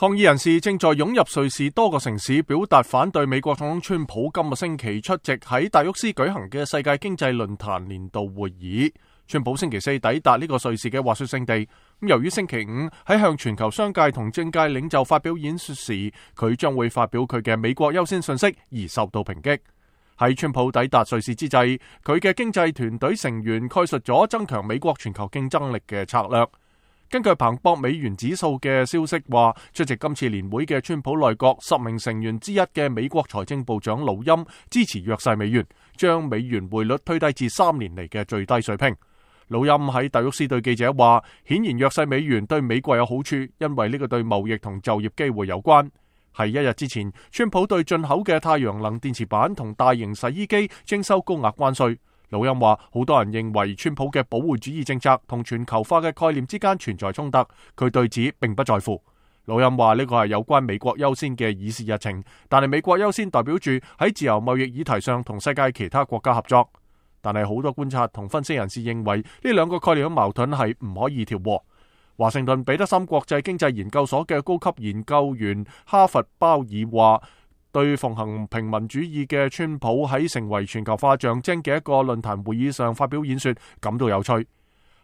抗議人士正在湧入瑞士多個城市，表達反對美國總統川普今個星期出席喺達沃斯舉行嘅世界經濟論壇年度會議。川普星期四抵達呢個瑞士嘅滑雪勝地，由於星期五喺向全球商界同政界領袖發表演說時，佢將會發表佢嘅美國優先信息而受到抨擊。喺川普抵達瑞士之際，佢嘅經濟團隊成員概述咗增強美國全球競爭力嘅策略。根據彭博美元指數嘅消息話，出席今次年會嘅川普內閣10名成員之一嘅美國財政部長魯欽支持弱勢美元，將美元匯率推低至3年嚟嘅最低水平。魯欽喺達沃斯對記者話，顯然弱勢美元對美國有好處，因為呢個對貿易同就業機會有關。喺一日之前，川普對進口嘅太陽能電池板同大型洗衣機徵收高額關稅。魯欽話，好多人認為川普嘅保護主義政策同全球化嘅概念之間存在衝突，佢對此並不在乎。魯欽話呢個係有關美國優先嘅議事日程，但係美國優先代表住喺自由貿易議題上同世界其他國家合作。但係好多觀察同分析人士認為呢兩個概念嘅矛盾係唔可以調和。華盛頓彼得森國際經濟研究所嘅高級研究員哈佛鮑爾話，對奉行平民主義嘅川普喺成為全球化象徵嘅一個論壇會議上發表演說感到有趣。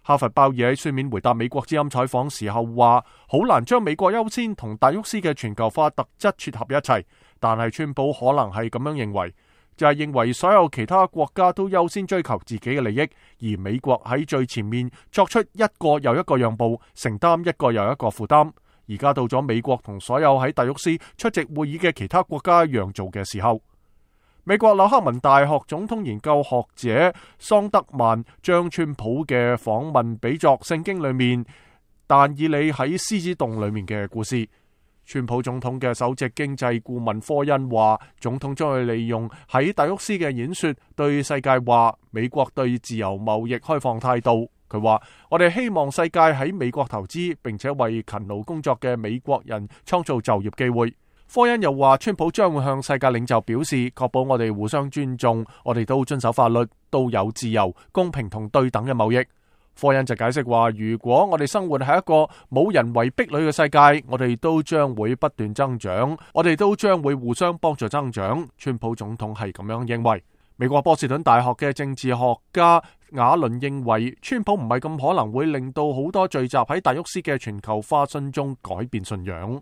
哈佛鮑爾喺書面回答美國之音採訪時候話，好難將美國優先同達沃斯嘅全球化特質撮合一齊，但係川普可能係咁樣認為，就係認為所有其他國家都優先追求自己嘅利益，而美國喺最前面作出一個又一個讓步，承擔一個又一個負擔。而家到咗美國同所有喺達沃斯出席會議嘅其他國家讓做嘅時候。美國紐克文大學總統研究學者桑德曼將川普嘅訪問比作聖經裏面但以理喺獅子洞裏面嘅故事。川普總統嘅首席經濟顧問科恩話，總統將會利用喺達沃斯嘅演說對世界話美國對自由貿易開放態度。佢話，我哋希望世界喺美國投資，並且為勤勞工作嘅美國人創造就業機會。科恩又話，川普將會向世界領袖表示，確保我哋互相尊重，我哋都遵守法律，都有自由、公平同對等嘅貿易。科恩就解釋話，如果我哋生活喺一個冇人為壁壘嘅世界，我哋都將會不斷增長，我哋都將會互相幫助增長。川普總統係咁樣認為。美國波士頓大學嘅政治學家亞倫認為，川普唔係咁可能會令到好多聚集喺達沃斯嘅全球化信眾改變信仰。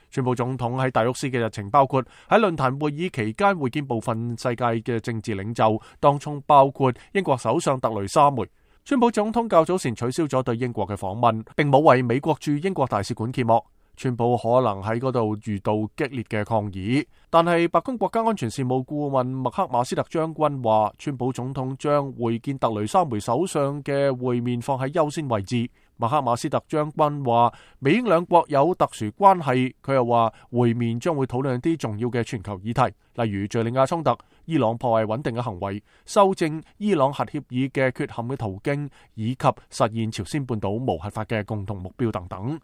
川普總統喺達沃斯嘅日程包括喺論壇會議期間會見部分世界嘅政治領袖，當中包括英國首相特雷莎梅。川普總統較早前取消咗對英國嘅訪問，並冇為美國駐英國大使館揭幕。川普可能喺嗰度遇到激烈嘅抗議，但係白宮國家安全事務顧問麥克馬斯特將軍話，川普總統將會見特雷莎梅首相嘅會面放喺優先位置。麥克馬斯特將軍話，美英兩國有特殊關係。佢又話，會面將會討論啲重要嘅全球議題，例如敘利亞衝突、伊朗破壞穩定嘅行為、修正伊朗核協議嘅缺陷嘅途徑，以及實現朝鮮半島無核化嘅共同目標等等。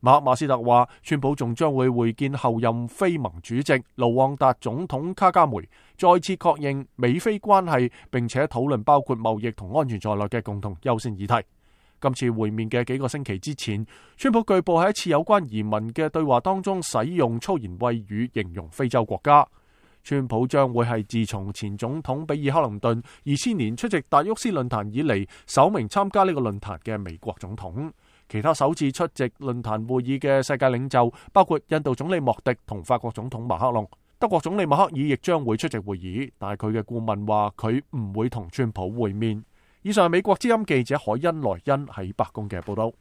馬克馬斯特話，川普仲將會會見後任非盟主席盧旺達總統卡加梅，再次確認美非關係，並且討論包括貿易同安全在內嘅共同優先議題。今次會面嘅幾個星期之前，川普據報喺一次有關移民嘅對話當中使用粗言穢語形容非洲國家。川普將會係自從前總統比爾克林頓2000年出席達沃斯論壇以嚟首名參加呢個論壇嘅美國總統。其他首次出席論壇會議嘅世界領袖包括印度總理莫迪同法國總統馬克龍。德國總理默克爾亦將會出席會議，但係佢嘅顧問話佢唔會同川普會面。以上係美國之音記者海恩萊恩喺白宮嘅報道。